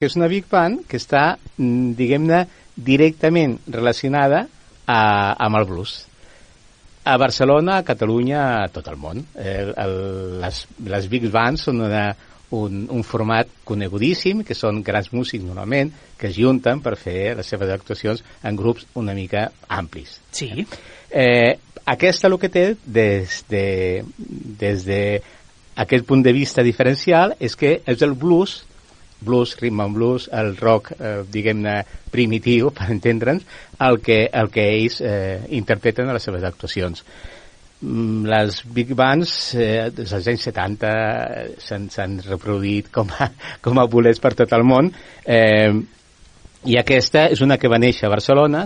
que és una big band que està, diguem-ne, directament relacionada amb el blues. A Barcelona, a Catalunya, a tot el món. Les big bands són un format conegudíssim, que són grans músics normalment, que es junten per fer les seves actuacions en grups una mica amplis. Sí. Aquesta el que té des d'aquest punt de vista diferencial és que és el blues, rhythm and blues, el rock, diguem-ne, primitiu, per entendre'ns, el que ells interpreten a les seves actuacions. Les big bands des dels anys 70 s'han reproduït com a bolets per tot el món, i aquesta és una que va néixer a Barcelona